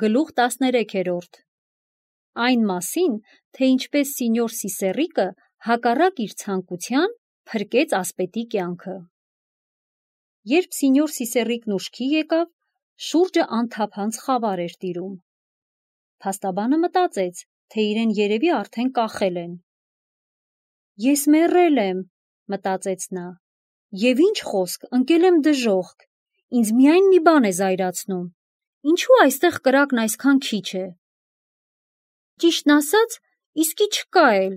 Գլուխ 13 Այն մասին, թե ինչպես սինյոր Սիսեռիկը հակառակ իր ցանկության փրկեց ասպետի կյանքը։ Երբ սինյոր Սիսեռիկն ուշքի եկավ, շուրջը անթափանց խավար էր տիրում։ Փաստաբանը մտածեց, թե իրեն երևի արդեն կախել են։ «Ես մեռել եմ», մտածեց նա, «և ինչ խոսք, ընկել եմ դժոխք, ինձ միայն մի բան է զայրացնում, ինչու այստեղ կրակն այսքան քիչ է։ Ճիշտն ասած, իսկի չկա էլ,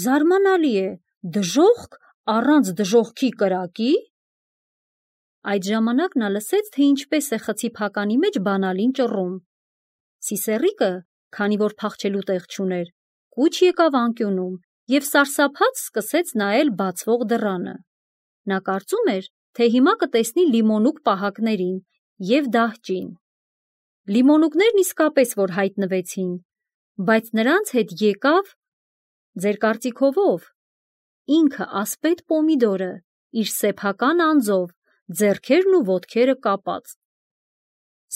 զարմանալի է, դժոխք առանց դժոխքի կրակի»։ Այդ ժամանակ նա լսեց, թե ինչպես է խցի փականի մեջ բանալին ճռում։ Սիսեռիկը, քանի որ փախչելու տեղ չուներ, կուչ եկավ անկյունում և սարսափած սկսեց նայել բացվող դռանը։ Նա կարծում էր, թե հիմա կտեսնի լիմոնուկ պահակներին և դահճին։ Լիմոնուկներն իսկապես որ հայտնվեցին, բայց նրանց հետ եկավ, ձեր կարծիքով ով, ինքը ասպետ Պոմիդորը, իր սեփական անձով, ձեռքերն ու ոտքերը կապած։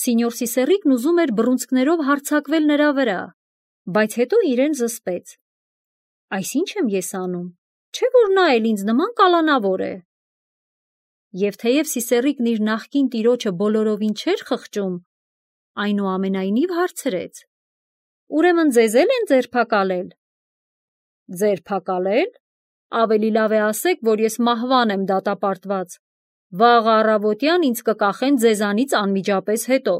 Սինյոր Սիսեռիկն ուզում էր բռունցքներով հարձակվել նրա վրա, բայց հետո իրեն զսպեց։ Այս ինչ եմ ես անում, չէ՞ որ նա էլ ինձ նման կալանավոր է։ Եվ թեև Սիսեռիկն իր նախկին տիրոջը բոլորովին չէր խղճում, այնուամենայնիվ հարցրեց. «Ուրեմն ձեզ էլ են ձերբակալել»։ «Ձերբակալել։ Ավելի լավ է ասեք, որ ես մահվան եմ դատապարտված։ Վաղը առավոտյան ինձ կկախեն ձեզանից անմիջապես հետո։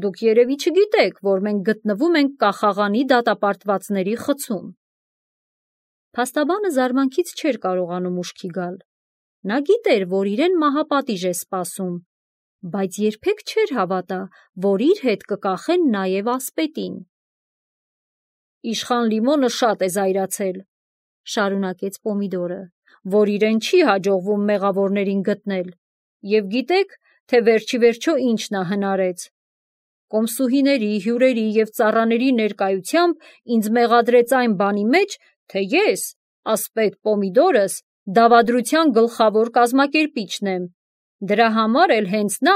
Դուք երևի չգիտեք, որ մենք գտնվում ենք կախաղանի դատապարտվածների խցում»։ Փաստաբանը զարմանքից չէր կարողանում ուշքի գալ։ Նա գիտեր, որ իրեն մահապատիժ է սպասում, բայց երբեք չէր հավատա, որ իր հետ կկախեն նաև ասպետին։ «Իշխան Լիմոնը շատ է զայրացել», շարունակեց Պոմիդորը, «որ իրեն չի հաջողվում մեղավորներին գտնել, և գիտեք, թե վերջիվերջո ինչ նա հնարեց։ Կոմսուհիների, հյուրերի և ծառաների ներկայությամբ ինձ մեղադրեց այն բանի մեջ, թե ես, ասպետ Պոմիդորս, դավադրության գլխավոր կազմակերպիչն եմ։ Դրա համար էլ հենց նա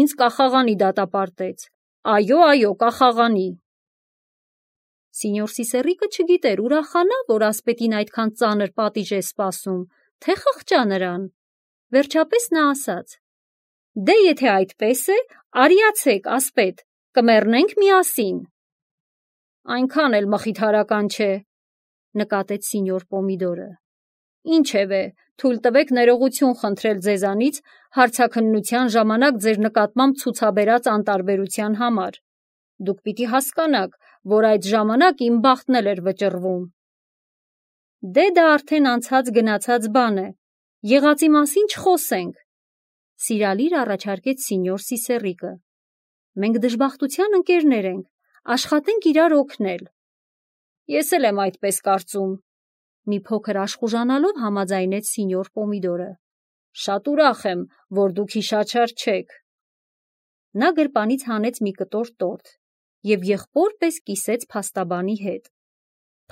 ինձ կախաղանի դատապարտեց։ Այո, կախաղանի»։ Սինյոր Սիսեռիկը չգիտեր ուրախանա, որ ասպետին այդքան ծանր պատիժ է սպասում, թե խղճա նրան։ Վերջապես նա ասաց. «Դե եթե այդպես է, արիացեք, ասպետ, կմեռնենք միասին»։ «Այնքան էլ մխիթարական չէ», նկատեց սինյոր Պոմիդորը։ «Ինչևէ, թույլ տվեք ներողություն խնդրել ձեզանից հարցաքննության ժամանակ ձեր նկատմամբ ցուցաբերած անտարբերության համար։ Դուք պիտի հասկանաք, որ այդ ժամանակ իմ բախտն էլ էր վճռվում»։ «Դե դա արդեն անցած գնացած բան է, եղածի մասին չխոսենք», սիրալիր առաջարկեց սինյոր Սիսեռիկը։ «Մենք դժբախտության ընկերներ ենք, աշխատենք իրար օգնել»։ «Ես էլ եմ այդպես կարծում», մի փոքր աշխուժանալով համաձայնեց սինյոր Պոմիդորը։ «Շատ ուրախ եմ, որ դուք հիշաչար չեք»։ Նա գրպանից հանեց մի կտոր տորթ և եղբոր պես կիսեց փաստաբանի հետ։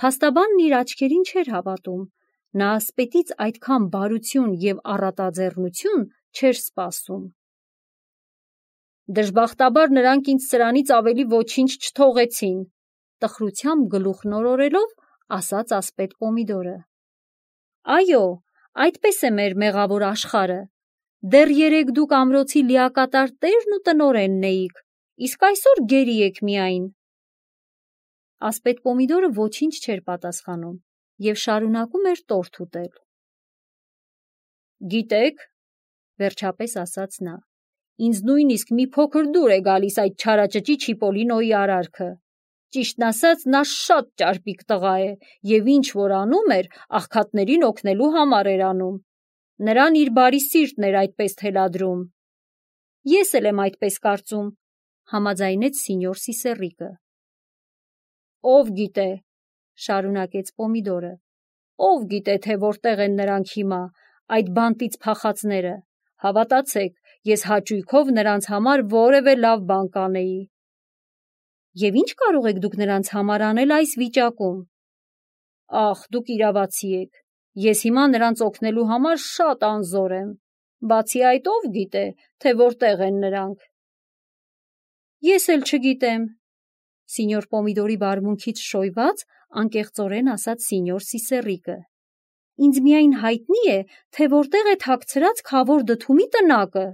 Փաստաբանն իր աչքերին չէր հավատում, նա ասպետից այդքան բարություն և առատաձեռնություն չէր սպասում։ «Դժբախտաբար նրանք ինձ սրանից ավելի ոչինչ չթողեցին», տխրությամբ գլուխ նորորելով, ասաց ասպետ Պոմիդորը։ «Այո, այդպես է մեր մեղավոր աշխարհը։ Դեռ երեկ դուք ամրոցի լիակատար տերն ու տնօրենն էիք, իսկ այսօր գերի եք միայն»։ Ասպետ Պոմիդորը ոչինչ չէր պատասխանում և շարունակում էր տորթ ուտել։ «Գիտեք», վերջապես ասաց նա, «ինձ նույնիսկ մի փոքր դուր է գալիս այդ չարաճճի Չիպոլինոյի արարքը։ Ճիշտն ասած, նա շատ ճարպիկ տղա է և ինչ որ անում էր, աղքատներին օգնելու համար էր անում։ Նրան իր բարի սիրտն էր այդպես թելադրում»։ «Ես էլ եմ այդպես կարծում», համաձայնեց սինյոր Սիսեռիկը։ «Ով գիտե», շարունակեց Պոմիդորը, «ով գիտե, թե որտեղ են նրանք հիմա, այդ բանտից փախածները։ Հավատացեք, ես հաճույքով նրանց համար որևէ լավ բան կանեի»։ «Եվ ինչ կարող եք դուք նրանց համար անել այս վիճակում»։ «Ախ, դուք իրավացի եք, ես հիմա նրանց օգնելու համար շատ անզոր եմ։ Բացի այդ, ով գիտե, թե որտեղ են նրանք»։ «Ես էլ չգիտեմ», Սինյոր Պոմիդորի վարմունքից շոյված անկեղծորեն ասաց սինյոր Սիսեռիկը։ Ինձ միայն հայտնի է, թե որտեղ է թաքցրած քավոր դդումի տնակը։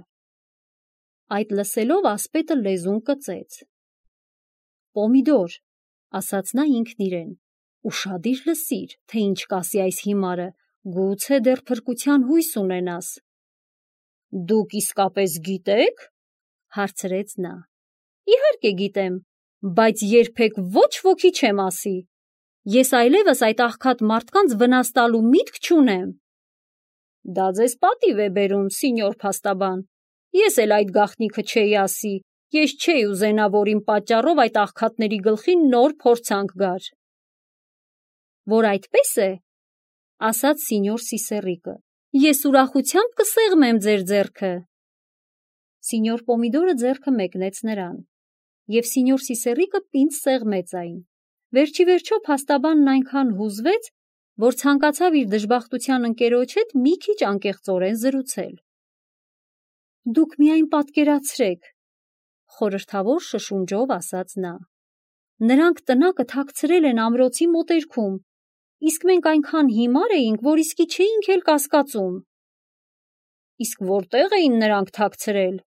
Այդ լսելով ասպետը լեզուն կծեց։ Պոմիդոր, ասաց նա ինքն իրեն, ուշադիր լսիր, թե ինչ կասի այս հիմարը, գուցե դեռ փրկության հույս ունենաս։ Դուք իսկապես գիտեք, հարցրեց նա։ Իհարկե գիտեմ, բայց երբեք ոչ ոքի չեմ ասի։ Ես այլևս այդ աղքատ մարդկանց վնաս տալու միտք չունեմ։ Դա ձեզ պատիվ է բերում, սինյոր փաստաբան։ Ես էլ այդ գաղտնիքը չէի ասի, ես չէի ուզենա, որ իմ պատճառով այդ աղքատների գլխին նոր փորձանք գար։ Որ այդպես է, ասաց սինյոր Սիսեռիկը, ես ուրախությամբ կսեղմեմ ձեր ձեռքը։ Սինյոր Պոմիդորը ձեռքը մեկնեց նրան, և սինյոր Սիսեռիկը պինդ սեղմեց այն։ Վերջիվերջո փաստաբանն այնքան հուզվեց, որ ցանկացավ իր դժբախտության ընկերոջ հետ մի քիչ անկեղծորեն զրուցել։ Դուք միայն պատկերացրեք, խորհրդավոր շշունջով ասաց նա։ Նրանք տնակը թաքցրել են ամրոցի մոտերքում, իսկ մենք այնքան հիմար էինք, որ իսկի չէինք էլ կասկածում։ Իսկ որտեղ էին նրանք թաքցրել,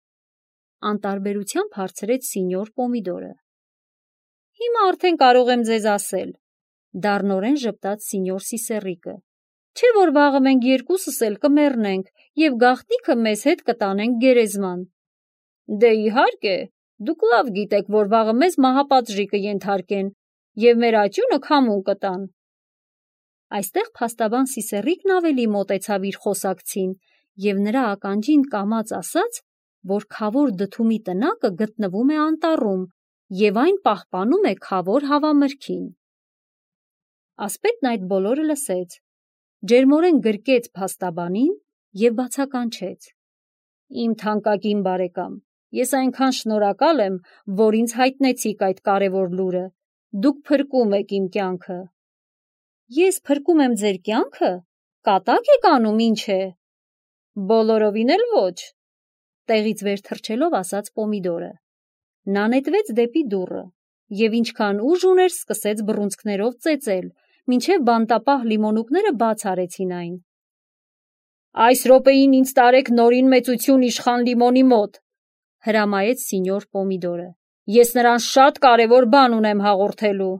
անտարբերությամբ հարցրեց սինյոր Պոմիդորը։ Հիմա արդեն կարող եմ ձեզ ասել, դառնորեն ժպտաց սինյոր Սիսեռիկը, չէ որ վաղը մենք երկուսս էլ կմեռնենք և գաղտնիքը մեզ հետ կտանենք գերեզման։ Դե իհարկե, դուք լավ գիտեք, որ վաղը մեզ մահապատժի կենթարկեն և մեր աճյունը քամուն կտան։ Այստեղ փաստաբան Սիսեռիկն ավելի մոտեցավ իր խոսակցին և նրա ականջին կամաց ասաց, որ քավոր դդումի տնակը գտնվում է անտառում և այն պահպանում է քավոր հավամրգին։ Ասպետն այդ բոլորը լսեց, ջերմորեն գրկեց փաստաբանին և բացականչեց. Իմ թանկագին բարեկամ, ես այնքան շնորհակալ եմ, որ ինձ հայտնեցիք այդ կարևոր լուրը, դուք փրկում եք իմ կյանքը։ Ես փրկում եմ ձեր կյանքը, կատակ եք անում, ինչ է։ Բոլորովին էլ ոչ, տեղից վեր թռչելով ասաց Պոմիդորը։ Նա նետվեց դեպի դուռը և ինչքան ուժ ուներ սկսեց բռունցքներով ծեծել, մինչև բանտապահ լիմոնուկները բաց արեցին այն։ Այս րոպեին ինձ տարեք նորին մեծություն իշխան Լիմոնի մոտ, հրամայեց սինյոր Պոմիդորը։ Ես նրան շատ կարևոր բան ունեմ հաղորդելու։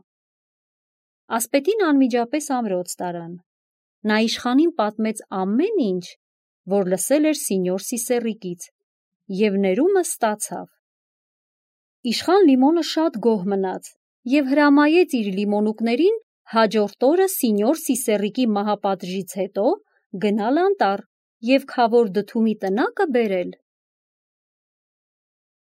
Ասպետին անմիջապես ամրոց տարան։ Նա իշխանին պատմեց ամեն ինչ, որ լսել էր սինյոր Սիսեռիկից, և ներումը ստացավ։ Իշխան Լիմոնը շատ գոհ մնաց և հրամայեց իր լիմոնուկներին հաջորդ օրը սինյոր Սիսեռիկի մահապատժից հետո գնալ անտառ և քավոր դդումի տնակը բերել։